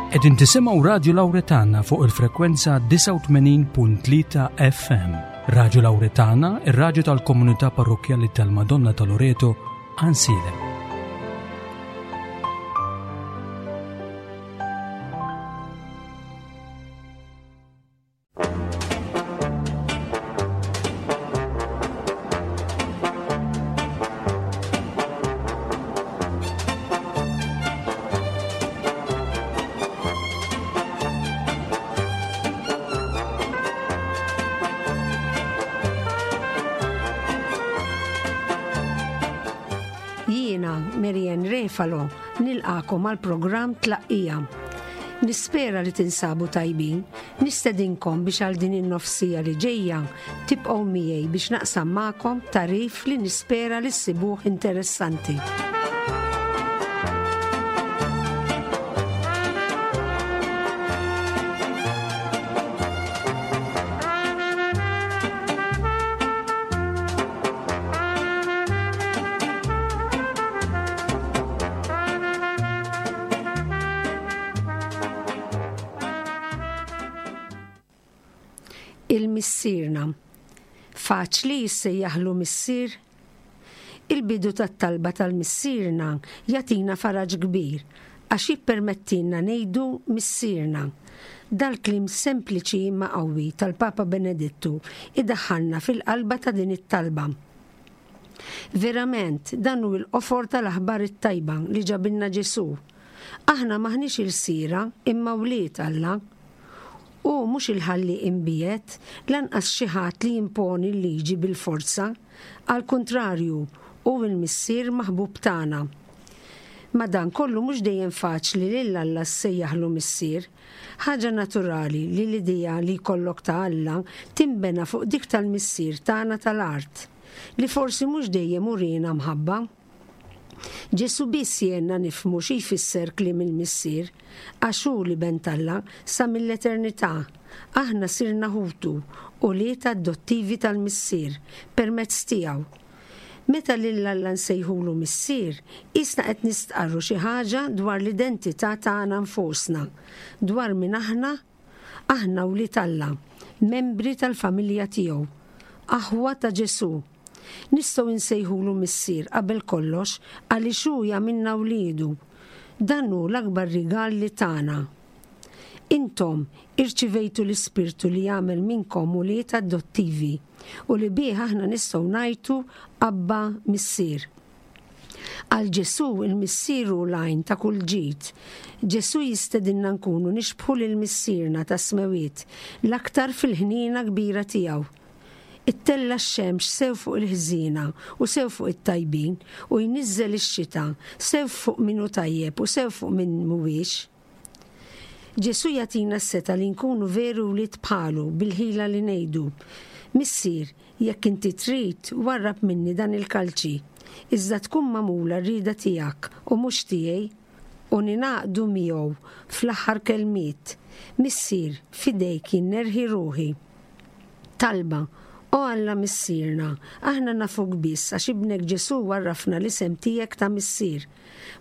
Qegħdin tisimgħu Radju Lawretana fuq il-frekwenza 89.3 FM. Radju Lawretana, ir-radju tal-komunità parrokkjali tal-Madonna ta' Loreto, Ansilem. Jiena, Marianne Refalo, nilqakom għal programm Tlaqqija. Nispera li tinsabu tajbin Nistedinkom biex għal din in-nofsija li ġejja tibqgħu miegħi biex naqsam magħkom tagħrif li nispera li ssibuh interessanti. Il-Missierna. Faċli jissejjaħlu Missier? Il-bidu tat-talba tal-Missierna jagħtina faraġ kbir għax jippermettilna ngħidu Missierna. Dal-kliem sempliċi imma qawwi tal-Papa Benedittu idaħħalna fil-qalba ta' din it-talba. Verament, dan hu l-qofor tal-aħbar it-tajba li ġabilna Ġesù. Aħna m'aħniex ilsiera, imma wlied Alla. Hu mhux il-Ħallieq imbiegħed, lanqas xi ħadd li jimponi l-liġi bil-forza. Għall-kuntrarju, hu l-Missier maħbub tagħna. Madankollu mhux dejjem faċli lil Alla ssejjaħlu Missier. Ħaġa naturali li l-idea li jkollok ta' Alla tinbena fuq dik tal-missier tagħna tal-art, li forsi mhux dejjem uriena mħabba. Ġesù biss jgħinna nifhmu xi jfisser kliem il-Missier, għax hu l-Iben t'Alla sa mill-eternità. Aħna sirna ħutu, ulied adottivi tal-Missier, permezz tiegħu. Meta lil Alla nsejħulu Missier, qisna qed nistqarru xi ħaġa dwar l-identità tagħna nfusna, dwar min aħna, aħna wlied Alla, membri tal-familja tiegħu, aħwa ta' Ġesù. Nistgħu nsejħulu Missier qabel kollox għaliex hu jagħmilna wliedu. Dan hu l-akbar rigal li tana. Intom irċivejtu l-Ispirtu li jagħmel minnkom ulied adottivi u li bih aħna nistgħu ngħajtu Abba, Missier. Għal Ġesù, il-Missier hu l-għajn ta' kull ġid. Ġesù jistedinna nkunu nixbħu lil Missierna tas-Smewwiet, l-aktar fil-ħniena kbira tiegħu. Ittella' x-xemx sew fuq il-ħżiena u sew fuq it-tajbin, u jniżżel ix-xita sew fuq min hu tajjeb u sew fuq min mhuwiex. Ġesù jagħtina s-setgħa li nkunu veru wlied bħalu bil-ħila li ngħidu, Missier, jekk inti trid, warrab minni dan il-kalċi, iżda tkun magħmula r-rieda tiegħek u mhux tiegħi, u ningħaqdu miegħu fl-aħħar kelmiet, Missier, f'idejk jien nerħi ruħi. Talba, O Alla Missierna, aħna nafuk biss għax Ibnek Ġesù għarrafna l-isem tiegħek ta' Missier.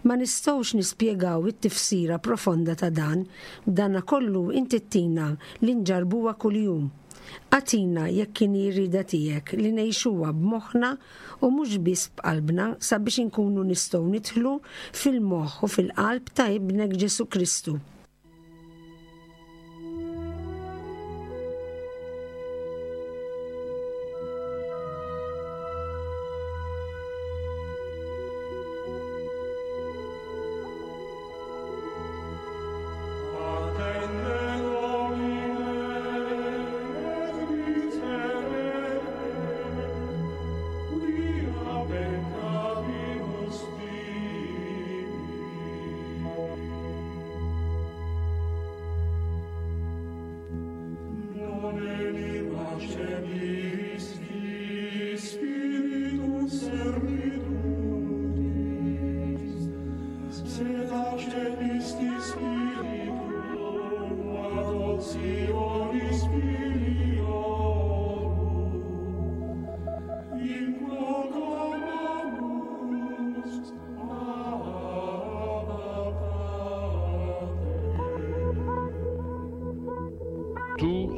Ma nistgħux nispjegaw it-tifsira profonda ta' dan, b'danakollu inti ttina li nġarrbuha kuljum. Agħtina, jekk inhi r-rieda tiegħek, li ngħixuha b'moħħna u mhux biss b'qalbna sabiex inkunu nistgħu nidħlu fil-moħħ u fil-qalb ta' Ibnek Ġesù Kristu.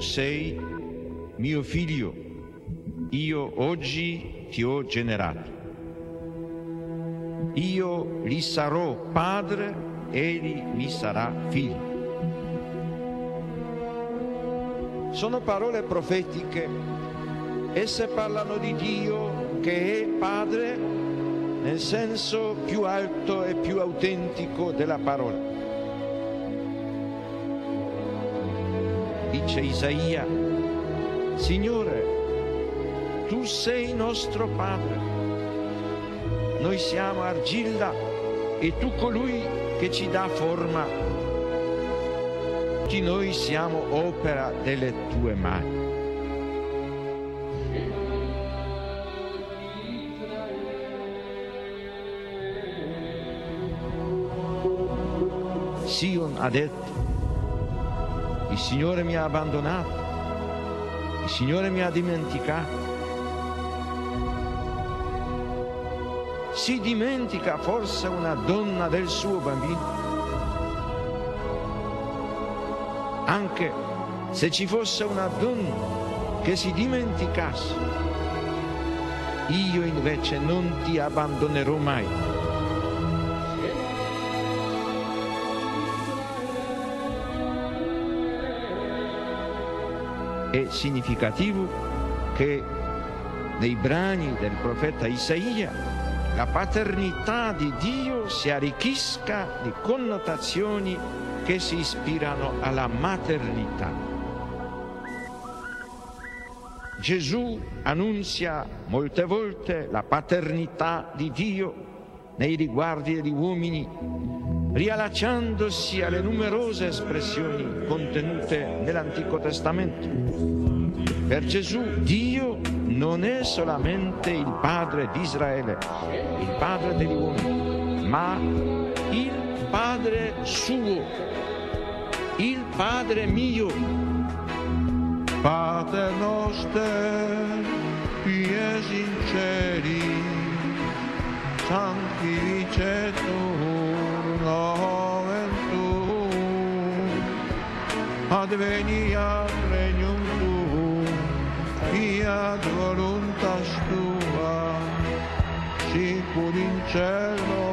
sei mio figlio, io oggi ti ho generato. Io gli sarò padre, egli mi sarà figlio. Sono parole profetiche, esse parlano di Dio che è padre nel senso più alto e più autentico della parola. Dice Isaia, Signore, tu sei nostro Padre, noi siamo argilla e tu colui che ci dà forma. Tutti noi siamo opera delle tue mani. Sion ha detto, il Signore mi ha abbandonato, il Signore mi ha dimenticato. Si dimentica forse una donna del suo bambino? Anche se ci fosse una donna che si dimenticasse, io invece non ti abbandonerò mai. È significativo che nei brani del profeta Isaia la paternità di Dio si arricchisca di connotazioni che si ispirano alla maternità. Gesù annunzia molte volte la paternità di Dio nei riguardi degli uomini, riallacciandosi alle numerose espressioni contenute nell'Antico Testamento. Per Gesù Dio non è solamente il padre di Israele, il padre degli uomini, ma il padre suo, il padre mio. Pater noster, qui es in celis, sanctificetur nomen tuum, adveniat regnum tuum, fiat voluntas tua, sicur in cielo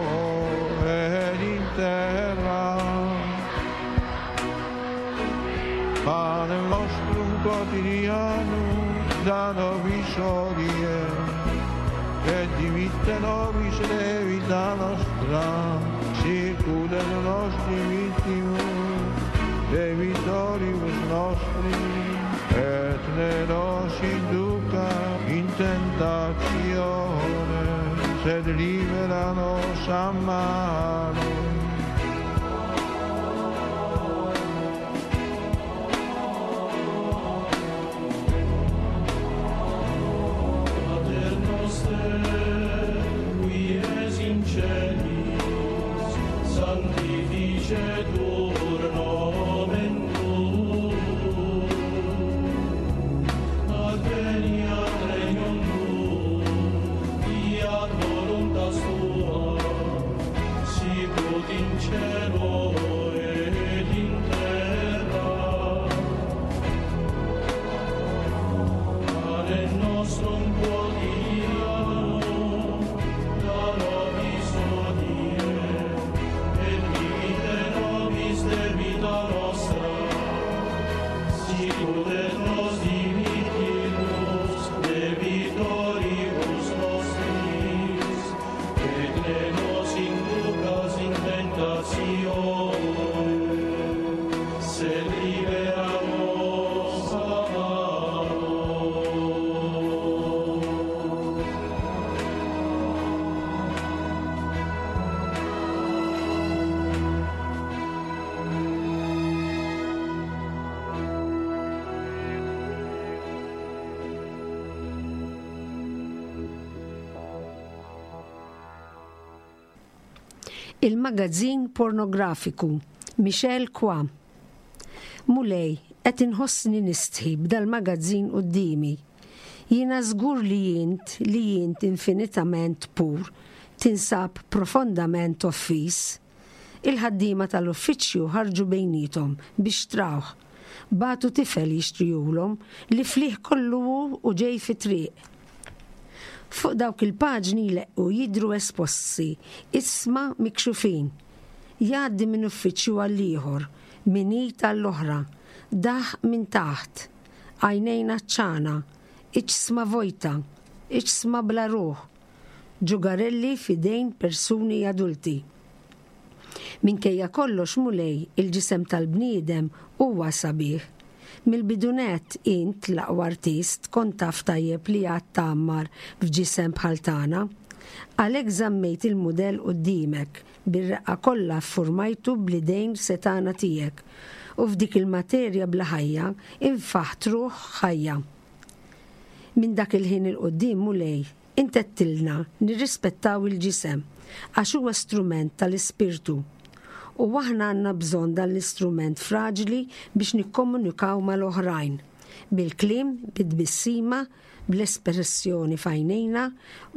ed in terra. Pane nostrum quotidianum da nobis hodie, et dimitte nobis debita nostra, sicut et nostri mittimus debitoribus nostri, et ne nos induca in tentatione, sed libera nos a malo. Pater noster, qui es in celis, sanctificetur nomen tuum, adveniat regnum tuum, fiat voluntas tua, sicut in cielo et in terra. Pane nostrum quotidianum da nobis hodie, et dimitte nobis debita nostra, sicut et nos dimittimus debitoribus nostris, et ne nos inducas in tentatione, sed libera nos a malo. Il-magazzin pornografiku Michel Kwa. Mulej, qed inħossni nistħi b'dal-magazzin quddiemi. Jiena żgur li int, li int infinitament pur, tinsab profondament offiż. Il-ħaddiema tal-uffiċċju ħarġu bejniethom biex trawh. Bagħtu tifel jixtrihulhom li flieh kollu hu u ġej fit-triq. Fuq dawk il-paġni jleqqu jidhru esposti isma mikxufin. Jgħaddi minn uffiċċju għall-ieħor, minn id għall-oħra, daħq minn taħt, għajnejn għatxana, iġsma vojta, iġsma bla ruħ, ġugarelli f'idejn persuni adulti. Minkejja kollox, Mulej, il-ġisem tal-bniedem huwa sabiħ. Mill-bidu nett int, l-aqwa artist, kont taf tajjeb li għad tgħammar f'ġisem bħal tagħna. Għalhekk żammejt il-mudell quddiemek, bir-reqqa kollha ffurmajtu bl-idejn setgħana tiegħek, u f'dik il-materja bla ħajja infaħt ruħ ħajja. Minn dak il-ħin 'il quddiem, Mulej, int għedtilna nirrispettaw il-ġisem, għax huwa strument tal-ispirtu. U aħna għandna bżonn dan l-istrument fraġli biex nikkomunikaw mal-oħrajn, bil-kliem, bit-tbissima, bl-espressjoni f'għajnejna,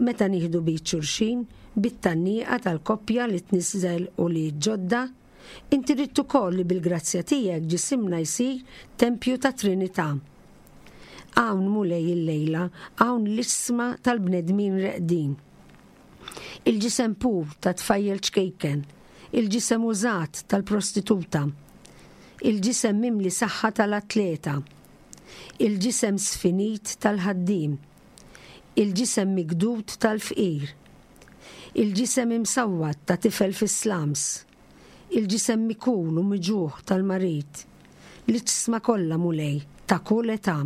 meta nieħdu b'id xulxin, bit-tgħanniqa tal-koppja li tniżżel ulied ġodda. Inti ridt ukoll li bil-grazzja tiegħek ġisimna jsir tempju tat-Trinità. Hawn, Mulej, illejla, hawn l-iġsma tal-bnedmin reqdin. Il-ġisem pur ta' tfajjel ċkejken, il-ġisem użat tal-prostituta, il-ġisem mimli saħħa tal-atleta, il-ġisem sfinit tal-ħaddiem, il-ġisem mikdud tal-fqir, Il-ġisem imsawwat ta' tifel fis-slums. Il-ġisem mikul u miġugħ tal-marid. L-iġsma kollha, Mulej, ta' kull età.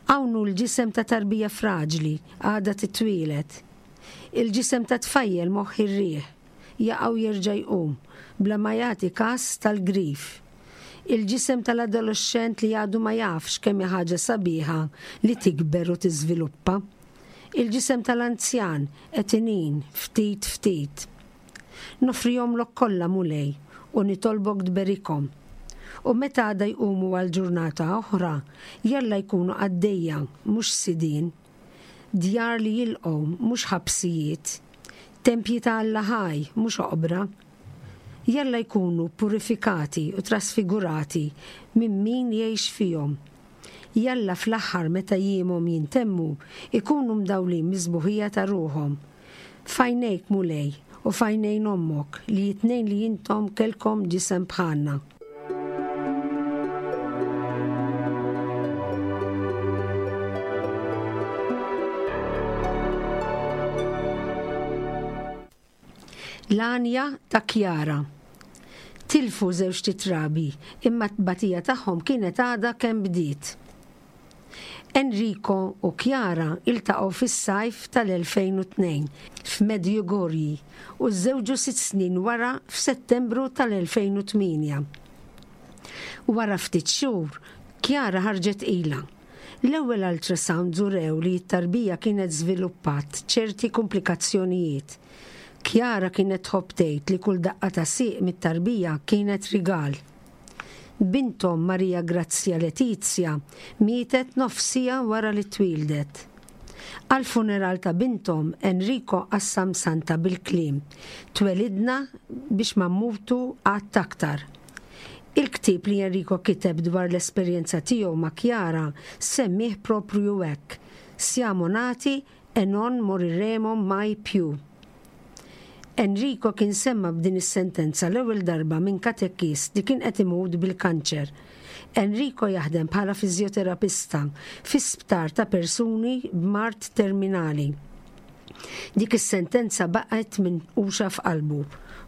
Hawn hu l-ġisem ta' tarbija fraġli għadha titwieled. Il-ġisem ta' tfajjel moħħ ir-riħ, jaqa' u jerġa' jqum, bla ma jagħti kas tal-grif. Il-ġisem tal-adoloxxent li għadu ma jafx kemm hi ħaġa sabiħa li tikber u tiżviluppa. Il-ġisem tal-anzjan qed inin ftit ftit. Noffrihomlok kollha, Mulej, u nitolbok tberikhom. U meta għada jqumu għal ġurnata oħra, jalla jkunu qaddejja, mhux sidien. Djar li jilqgħu, mhux ħabsijiet. Tempji ta' Alla ħaj, mhux oqbra. Jalla jkunu purifikati u trasfigurati minn min jgħix fihom. Jalla fl-aħħar meta jiemhom jintemmu, ikunu mdawlin mis-sbuħija ta' ruħhom. F'għajnejk, Mulej, u f'għajnejn ommok, li t-tnejn li intom kellkom ġisem bħalna. L-għanja ta' Chiara. Tilfu żewġt itrabi, imma t-tbatija tagħhom kienet għadha kemm bdiet. Enrico u Chiara iltaqgħu fis-sajf tal-2002 f'Medjugorje u żżewġu sitt snin wara f'Settembru tal-2008. Wara ftit xhur, Chiara ħarġet tqila. L-ewwel ultrasounds urew li t-tarbija kienet żviluppat ċerti kumplikazzjonijiet. Chiara kienet tħobb tgħid li kull daqqa ta' sieq mit-tarbija kienet rigal. Binthom Maria Grazia Letizia mietet nofs siegħa wara li twieldet. Għall-funeral ta' binthom, Enrico qassam santa bil-kliem, Twelidna biex ma mmutu qatt aktar. Il-ktieb li Enrico kiteb dwar l-esperjenza tiegħu ma' Chiara semmieh proprju hekk, Siamo nati e non moriremo mai più. Enrico kien semma' b'din is-sentenza l-ewwel darba minn katekist li kien qed imut bil-kanċer. Enrico jaħdem bħala fiżjoterapista fi sptar ta' persuni b'mard terminali. Dik is-sentenza baqgħet minquxa f'qalbu.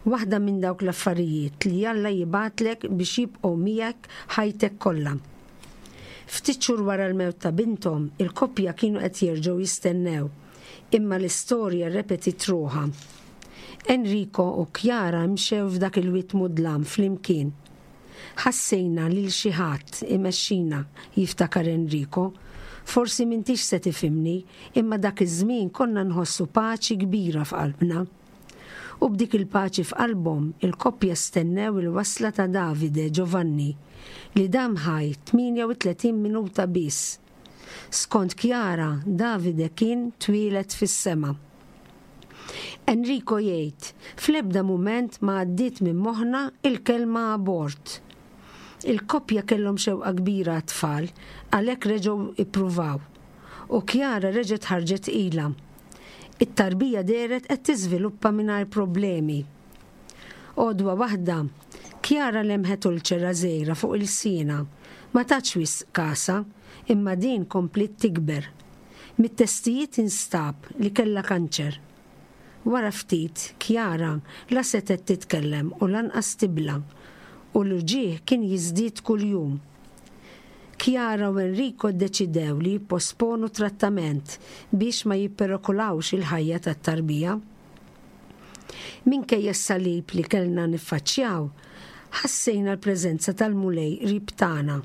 Waħda minn dawk l-affarijiet li Alla jibgħatlek biex jibqgħu miegħek ħajtek kollha. Ftit xhur wara l-mewt ta' binthom, il-koppja kienu qed jerġgħu jistennew. Imma l-istorja rrepetiet ruħha. Enrico u Chiara mxew f'dak il-wied mudlam flimkien. Ħassejna lil xi ħadd imexxina, jiftakar Enrico. Forsi m'intix se tifhimni, imma dak iż-żmien konna nħossu paċi kbira f'qalbna. U b'dik il-paċi f'qalbhom, il-koppja stennew il-wasla ta' Davide Giovanni, li dam ħaj 38 minuta biss. Skont Chiara, Davide kien twieled fis-sema. Enrico jgħid, Fl-ebda mument ma għaddiet minn moħħna l-kelma abort. Il-koppja kellhom xewqa kbira għat-tfal, għalhekk reġgħu ippruvaw. U Chiara reġgħet ħarġet tqila. It-tarbija dehret qed tiżviluppa mingħajr problemi. Għodwa waħda, Chiara lemħet ulċera żgħira fuq ilsienha. Ma tatx wisq kasha, imma din kompliet tikber. Mit-testijiet instab li kellha kanċer. Wara ftit, Chiara la setgħet titkellem u lanqas tibla', u l-uġigħ kien jiżdied kuljum. Chiara u Enrico ddeċidew li jipposponu t-trattament biex ma jipperokolawx il-ħajja tat-tarbija. Minkejja s-salib li kellna niffaċċjaw, ħassejna l-preżenza tal-Mulej qrib tagħna.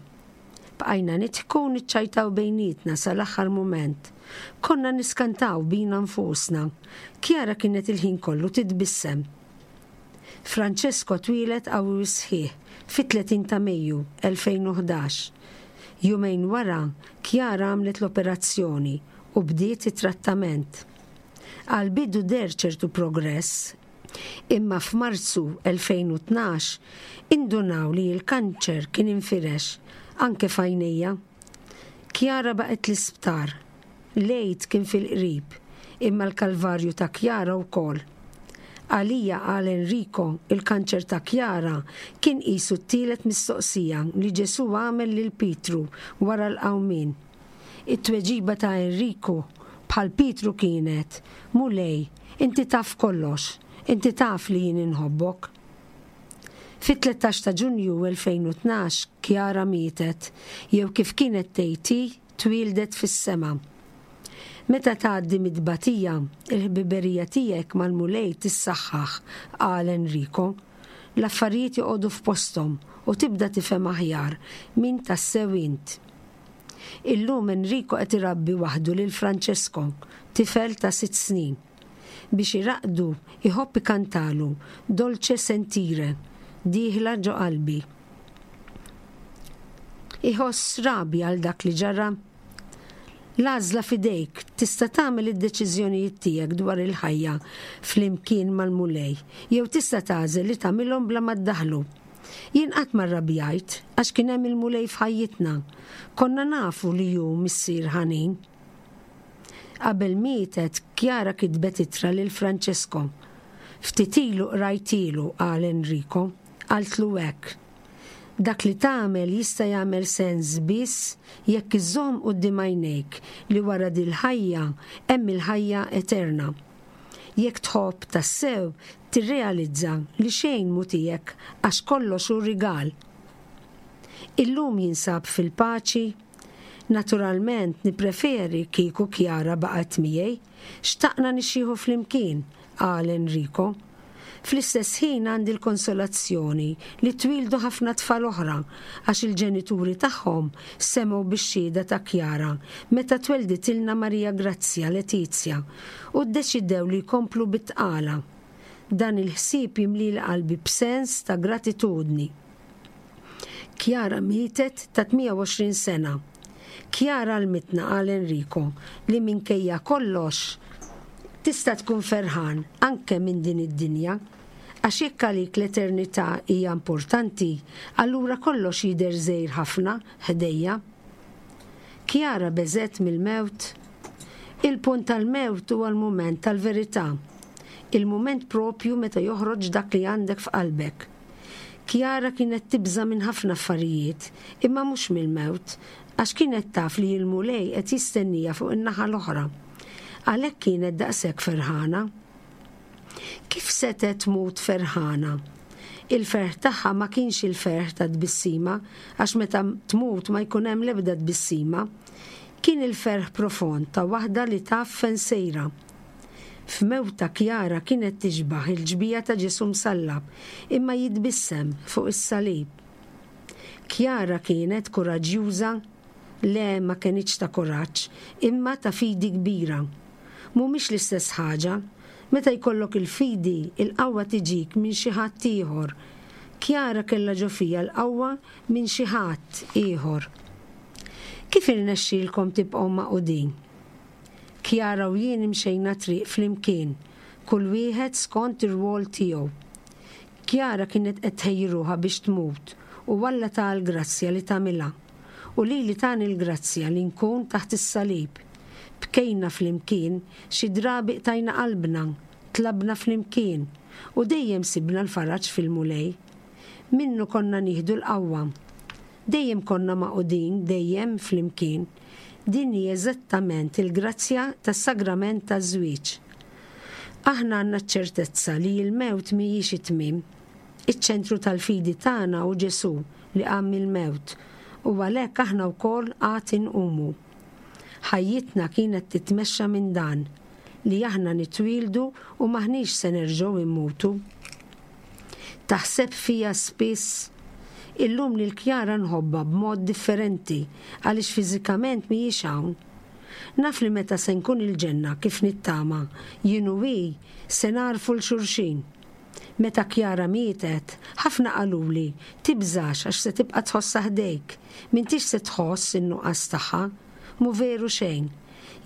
Bqajna nidħku u niċċajtaw bejnietna sal-aħħar mument. Konna niskantaw bina nfusna. Chiara kienet il-ħin kollu titbissem. Francesco twieled qawwi u sħiħ fit-30 ta' Mejju, 2011. Jumejn wara, Chiara għamlet l-operazzjoni u bdiet it-trattament. Għall-bidu deher ċertu progress, Imma f'Marzu 2012 indunaw li l-kanċer kien infirex anke f'għajnejja. Chiara baqgħet l-isptar. L-Għid kien fil-qrib, imma l-kalvarju ta' Chiara wkoll. Għalija, qal Enrico, il-kanċer ta' Chiara kien qisu t-tielet mistoqsija li Ġesù għamel lil Pietru wara l-qawmien. It-tweġiba ta' Enrico, bħal Pietru kienet, Mulej, inti taf kollox, inti taf li jien inħobbok. Fit-13 ta' Ġunju 2012 Chiara mietet, jew kif kienet tgħid hi, twieldet fis-sema. Meta tgħaddi mit-tbatija, il-ħbiberija tiegħek mal-Mulej tissaħħaħ, qal Enrico. L-affarijiet joqogħdu f'posthom u tibda tifhem aħjar min tassew int. Illum Enrico qed irabbi waħdu lil Francesco, tifel ta' sitt snin. Biex iraqqdu, iħobb ikantalu Dolce sentire, dieħla ġo qalbi. Iħoss rabja għal dak li ġara? L-għażla f'idejk, tista' tagħmel id-deċiżjonijiet tiegħek dwar il-ħajja flimkien mal-Mulej, jew tista' tagħżel li tagħmilhom bla ma ddaħħlu. Jien qatt ma rrabjajt għax kien hemm il-Mulej f'ħajjitna. Konna nafu li hu Missier ħanin. Qabel mietet, Chiara kitbet ittra lil Francesco. Ftit ilu qrajtilu, qal Enrico. Qaltlu hekk, Dak li tagħmel jista' jagħmel sens biss jekk iżżomm quddiem għajnejk li wara dil-ħajja hemm il-ħajja eterna. Jekk tħobb tassew, tirrealizza li xejn mhu tiegħek għax kollox hu rigal. Illum jinsab fil-paċi? Naturalment nippreferi kieku Chiara baqgħet miegħi. Xtaqna nixjieħu flimkien, qal Enrico. Fl-istess ħin għandi l-konsolazzjoni li twieldu ħafna tfal oħra għax il-ġenituri tagħhom semgħu bix-xhieda ta' Chiara meta twelditilna Maria Grazia Letizia u ddeċidew li jkomplu bit-tqala. Dan il-ħsieb jimlili qalbi b'sens ta' gratitudni. Chiara mietet ta' 28 sena. Chiara għallmitna, qal Enrico, li minkejja kollox tista' tkun ferħan anke minn din id-dinja. Għax jekk għalik l-eternità hija importanti, allura kollox jidher żgħir ħafna ħdejja. Chiara beżgħet mill-mewt? Il-punt tal-mewt huwa l-mument tal-verità. Il-mument proprju meta joħroġ dak li għandek f'qalbek. Chiara kienet tibża' minn ħafna affarijiet, imma mhux mill-mewt, għax kienet taf li l-Mulej qed jistenniha fuq in-naħa l-oħra. Għalhekk kienet daqshekk ferħana. Kif setgħet tmut ferħana? Il-ferħ tagħha ma kienx il-ferħ ta' tbissima, għax meta tmut ma jkun hemm l-ebda tbissima. Kien il-ferħ profond ta' waħda li taf fejn sejra. F'mewtha Chiara kienet tixbah il-ġbija ta' Ġesù msallab imma jitbissem fuq is-salib. Chiara kienet kuraġġjuża? Le ma kenitx ta' kuraġġ, imma ta' fidi kbira. Mhumiex l-istess ħaġa. Meta jkollok il-fidi, il-qawwa tiġik minn xi ħadd ieħor. Chiara kellha ġo fiha l-qawwa minn xi ħadd ieħor. Kif irnexxielkom tibqgħu magħqudin? Chiara u jien imxejna triq flimkien, kull wieħed skont ir-rwol tiegħu. Chiara kienet qed tħejji ruħha biex tmut. U Alla taha l-grazzja li tagħmilha. U lili tani l-grazzja li nkun taħt is-salib. Bkejna flimkien, xi drabi qtajna qalbna, tlabna flimkien, u dejjem sibna l-faraġ fil-Mulej. Minnu konna nieħdu l-qawwa. Dejjem konna magħqudin, dejjem flimkien. Din hi eżattament il-grazzja tas-sagrament taż-żwieġ. Aħna għandna ċ-ċertezza li l-mewt mhijiex it-tmiem. Iċ-ċentru tal-fidi tagħna hu Ġesù li qam mill-mewt, u għalhekk aħna wkoll għad inqumu. Ħajjitna kienet titmexxa minn dan, li aħna nitwieldu u m'aħniex se nerġgħu mmutu. Taħseb fija spiss? Illum lil Chiara nħobbha b'mod differenti għaliex fiżikament mhijiex hawn. Naf li meta se nkun il-ġenna kif nittama, jien u hi se nagħrfu 'l xulxin. Meta Chiara mietet, ħafna qaluli, tibżax għax se tibqa' tħossha ħdejk, m'intix se tħoss in-nuqqas tagħha. Mhu veru xejn.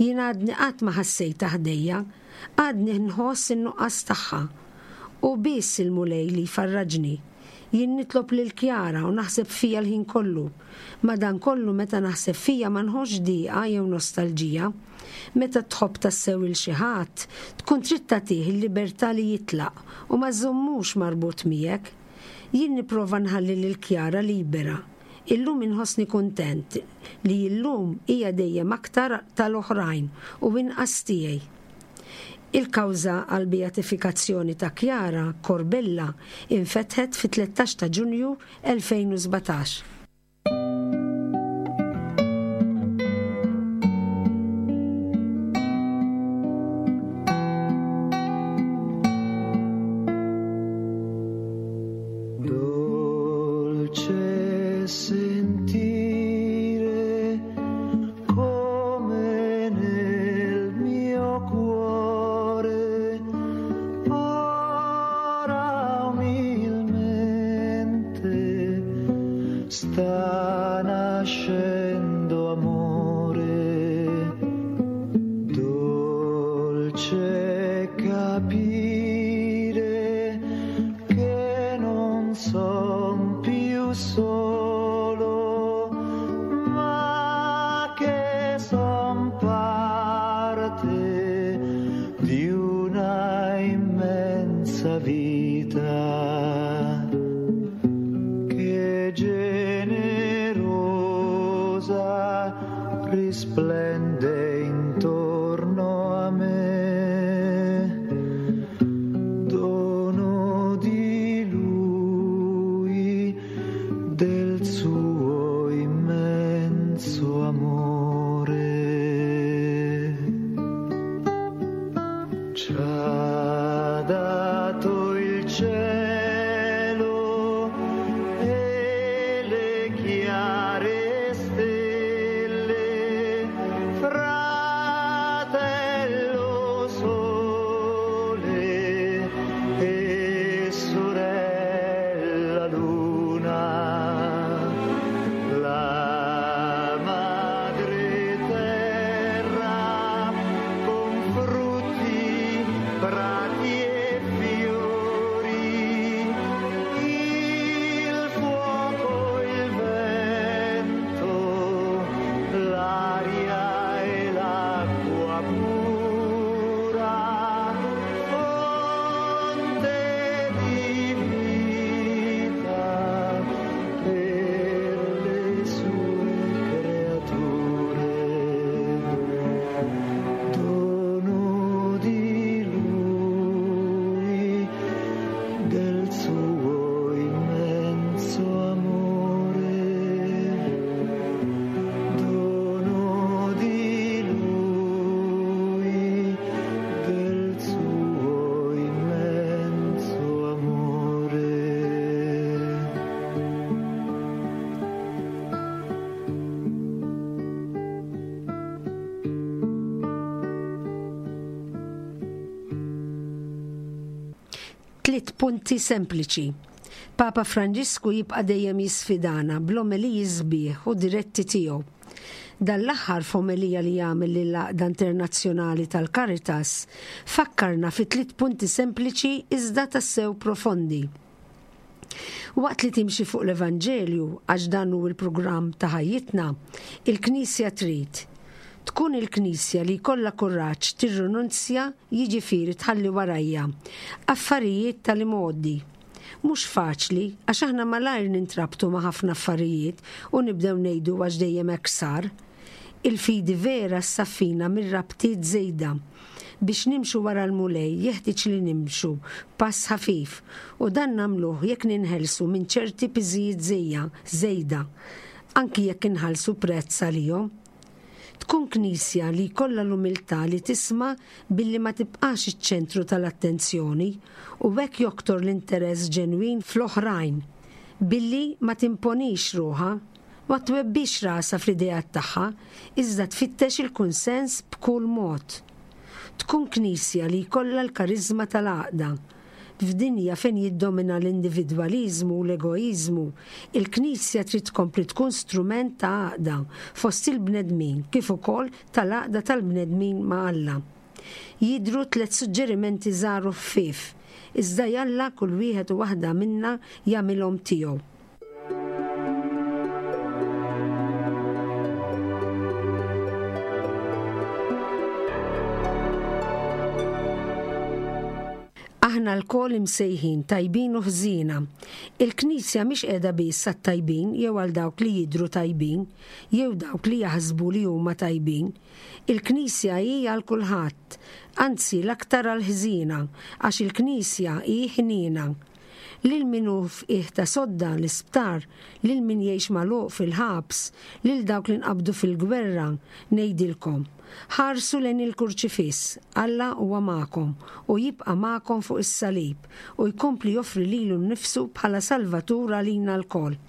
Jien għadni qatt ma ħassejtha ħdejja. Għadni nħoss in-nuqqas tagħha. Hu biss il-Mulej li jfarraġni. Jien nitlob lil Chiara u naħseb fija l-ħin kollu. Madankollu meta naħseb fija ma nħossx dieqa jew nostalġija. Meta tħobb tassew 'il xi ħadd, tkun trid tagħtih il-libertà li jitlaq u ma żżommux marbut miegħek. Jien nipprova nħalli lil Chiara libera. Illum inħossni kuntent li illum hija dejjem aktar tal-oħrajn u inqas tiegħi. Il-kawża għall-beatifikazzjoni ta' Chiara Corbella infetħet fit-13 ta' Ġunju 2017. Dolce sentire come nel mio cuore ora umilmente sta nascendo amore. Dolce capire che non son più solo, ma che son parte di una immensa vita che generosa risplende intorno a me. Dono di lui, del suo immenso amore. Ci ha dato il cielo e le chiare stelle, fratello sole e sorella luna, la madre terra con frutti, prati e fiori, il fuoco, il vento, l'aria e l'acqua pura, fonte di vita per le sue creature. Dono di lui, del suo immenso amore. Dono di lui, del suo immenso amore. Tliet punti sempliċi. Papa Franġisku jibqa' dejjem jisfidana bl-omeliji sbieħ u diretti tiegħu. Dan l-aħħar f'omelija li għamel lill-Għaqda Internazzjonali tal-Caritas fakkarna fi tliet punti sempliċi iżda tassew profondi. Waqt li timxi fuq l-Evanġelju, għax dan hu l-programm ta' ħajjitna, il-Knisja trid tkun il-Knisja li jkollha kuraġġ tirrinunzja jiġifieri tħalli warajha affarijiet tal-imgħoddi. Mhux faċli għax aħna malajr nintrabtu ma' ħafna affarijiet u nibdew ngħidu għax dejjem hekk sar. Il-fidi vera ssaffina mir-rabtiet żejda. Biex nimxu wara l-Mulej jeħtieġ li nimxu b'pass ħafif u dan nagħmluh jekk ninħelsu minn ċerti piżijiet żejja żejda, anki jekk inħallsu prezz għalihom. Tkun Knisja li jkollha l-umiltà li tisma' billi ma tibqax iċ-ċentru tal-attenzjoni u hekk joktor l-interess ġenwin fl-oħrajn, billi ma timponix ruħha, ma twebbix rasha fl-ideat tagħha, iżda tfittex il-kunsens b'kull mod. Tkun Knisja li jkollha l-kariżma tal-għaqda. F'dinja fejn jiddomina l-individwaliżmu u l-egoiżmu, il-Knisja trid tkompli tkun strument ta' għaqda fost il-bnedmin kif ukoll tal-għaqda tal-bnedmin ma' Alla. Jidhru tlett suġġerimenti żgħar u ħfief, iżda jalla kull wieħed u waħda minna jagħmilhom tiegħu. Aħna lkoll imsejħin tajbin u ħżiena. Il-Knisja mhix qiegħda biss għat-tajbin jew għal dawk li jidhru tajbin, jew dawk li jaħsbu li huma tajbin. Il-Knisja hi għal kulħadd, anzi l-aktar għall-ħżiena, għax il-Knisja hi ħniena. Lil min hu f'qiegħ ta' sodda, l-isptar, lil min jgħix magħluq fil-ħabs, lil dawk li nqabdu fil-gwerra, ngħidilkom, ħarsu lejn il-Kurċifiss, Alla huwa magħkom u jibqa' magħkom fuq is-salib u jkompli joffri lilu nnifsu bħala Salvatur għalina lkoll.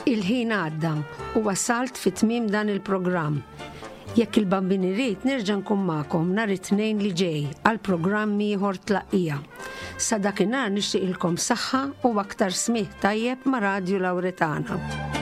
Il-ħin għadda u wasalt fi tmiem dan il-programm. Jekk il-Bambin irid nerġa' nkun magħkom nhar it-Tnejn li ġej għal programm ieħor Tlaqqija. Sa dakinhar nixtieqilkom saħħa u aktar smigħ tajjeb ma' Radju Lawretana.